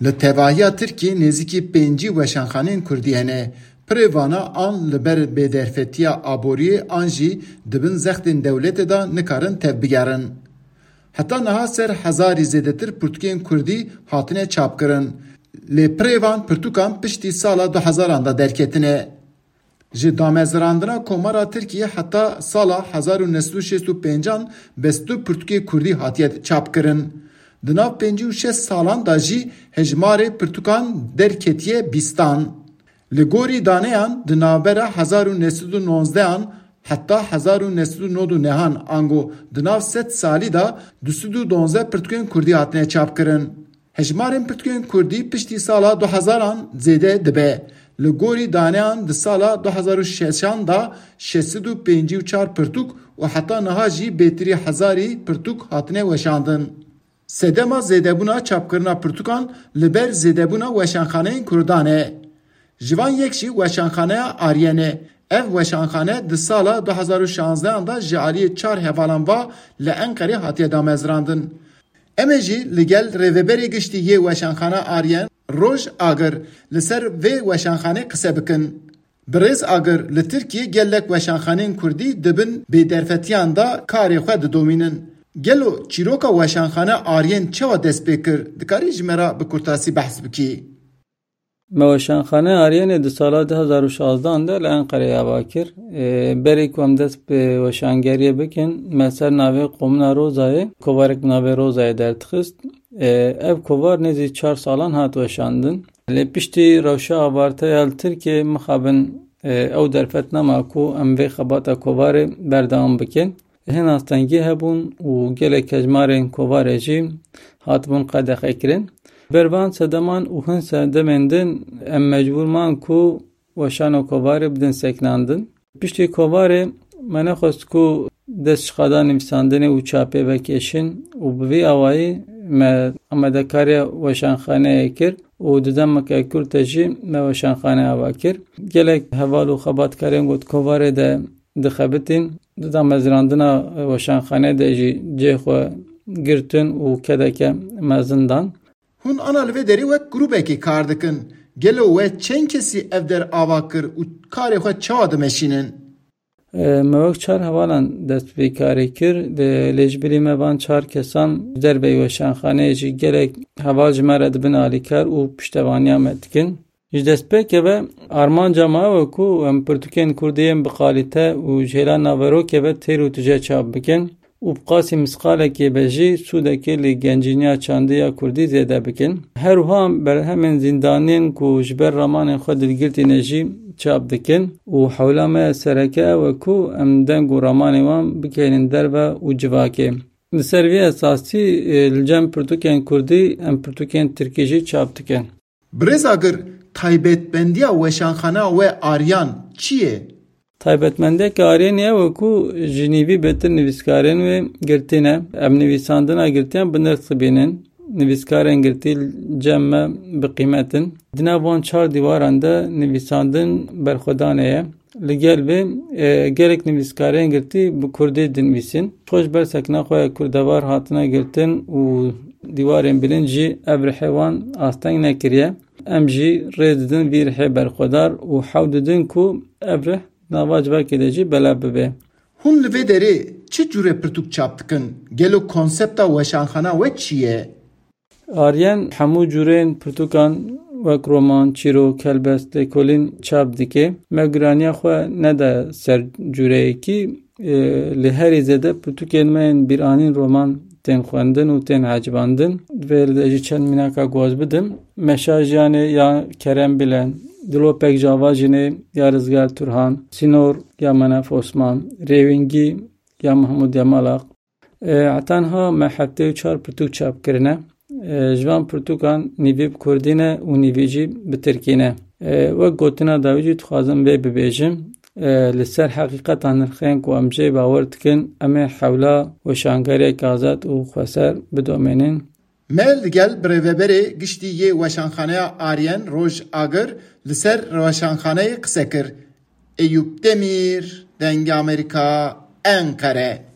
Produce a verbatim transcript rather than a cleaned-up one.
Li tevahiya Tirkiyê nêzîkî pêncî weşanxaneyên Kurdî hene. Pirê vana an li ber bêderfetiya aboriyê an jî di bin zextên dewletê de nikarin tevbigerin. Heta niha ser hezarî zêdetir pirtûkên Kurdî hatine çapkirin. Lê pirê van pirtûkan piştî sala du hezaran de derketine. Ji damezrandina Komara Tirkiyê heta sala hezar û neh sed û şêst û pêncan bes du pirtûkê Kurdî hatiye çapkirin. Di nav pêncî û şeş salan de jî hejmarê pirtûkan derketiye bîstan. Li gorî daneyan di navbera hezar û neh sed û nozdehan heta hezar û neh sed û nod û nehan ango di nav sed salî de du sed û donzdeh pirtûkên Kurdî hatine çapkirin. Hejmarên pirtûkên Kurdî piştî sala du hezaran zêde dibe. Li gorî daneyan di sala du hezar û şeşan de şeş sed û pêncî û çar pirtûk û heta niha jî bêtirî hezarî pirtûk hatine weşandin. Sedema zêdebûna çapkirina pirtûkan li ber zêdebûna weşanxaneyên Kurdan e. Ji van yek jî weşanxaneya Aryen e. Ev weşanxane di sala du hezar û şanzdehan de ji aliyê çar hevalan va li Enqerê hatiye damezrandin. Em ê jî li gel rêveberê giştî yê weşanxana Aryen Roj Agir li ser vê weşanxanê qise bikin. Birêz Agir, li Tirkiyê gelek weşanxaneyên Kurdî di bin bêderfetiyan de karê xwe didomînin. Gelo çîroka weşanxane Aryen çawa dest pê kir? Dikarî ji me re bi kurtasî behs bikî? Me weşanxane Aryenê di sala du hezar û şazdehan de li Enqereyê ava kir. Ê, berî ku em dest bi weşangeriyê bikin, me ser navê Komuna Rozayê, kovarek bi navê Rozayê derdixist. Ê, ev kovar nêzî çar salan hat weşandin. Lê piştî rewşa avarteya li Tirkiyê mixabin, ê, ew derfet nema ku em vê xebata kovarê berdewam bikin. Hin astengî hebûn û gelek hejmarên kovarê jî hatibûn qedexekirin. Ber van sedeman û hin sedemên din em mecbûr man ku weşano kovarê bidin sekinandin. Piştî kovarê me nexwest ku dest ji qada nivîsandinê û çapê vekêşin û bi vî awayî me amadekariya weşanxaneyê kir û di demeke kurt de jî me weşanxane ava kir. Gelek heval û xebatkarên ku di kovarê de dixebitîn, di damezrandina weşanxanê de jî cihê xwe girtin û kedeke mezin dan. Hûn ana li vê derê wek grûbekê kar dikin. Gelo we çend kesî ev der ava kir û karê xwe çawa dimeşînin? E, me wek çar hevalan dest bi vê karê kir. Lê ji bilî me van çar kesan ji derveyî weşanxaneyê jî gelek heval ji me re dibin alîkar û piştevaniya me dikin. Ji destpêkê ve armanca me ew e ku em pirtûkên kurdî yên bi qalîte û ji hêla naverokê ve têr û tije çap bikin û bi qasî misqalekê ve jî sûdekê li gencîniya çandî ya kurdî zêde bikin. Her wiha berhemên zîndaniyên ku ji ber ramanên xwe dilgirtîne jî çap dikin û hewla me ya sereke ew e ku em deng û ramanên wan bikeynin derve û civakê. Li ser vî esasî, e, li cem pirtûkên kurdî em pirtûkên tirkî jî çap dikin. Birêz Agir, taybetmendiya weşanxana we Aryan çi ye? Taybetmendiyeke Aryanê ew e ku ji nîvî bêtir nivîskarên wê girtî ne. Em nivîsandina girtiyan bi nirx dibînin. Nivîskarên girtî li cem me bi qîmet in. Di nav van çar dîwaran de nivîsandin berxwedanê ye. Li gel vê, e, gelek nivîskarên girtî bi kurdî dinivîsin. Xwe ji ber sekna xwe ya kurdevar hatine girtin û dîwarên bilind jî ev rihê wan asteng nekiriye. Em jî rê didin vî rihê berxwedar û hewl didin ku ev rih nava civakê de jî belav bibe. Hûn li vê derê çi cûre pirtûk çap dikin? Gelo konsepta weşanxana we çi ye? Aryen hemû cûrên pirtûkan wek roman, çîrok, helbest, lêkolîn çap dike. Me giraniya xwe nede ser cûreyekî, e, lê herî zêde pirtûkên me yên bîranîn roman tên xwendin û tên ecibandin. Divê li de jî çend mînaka guaz bidim. Meşa Jiyanê ya Kerem Bilen, Dilopek Java Jinê ya Rizgar Turhan, Sînor ya Menef Osman, Rêwîngî ya Mehmûd Yamalaq, E, heta niha me heftê û çar pirtûk çap kirine. E, ji van pirtûkan nîvî bi kurdî ne û nîvî jî bi tirkî ne. E, wek gotina dawî jî dixwazim vê bibêjim. E, li ser heqîqeta nirxên ku em jê bawer dikin, em ê hewla weşangeriyeke azad û xweser bidomînin. Me li gel birêveberê giştî yê weşanxaneya Aryen Roj Agir li ser weşanxaneyê qise kir. Eyûp Demîr, Dengê Amerîka, Enqere.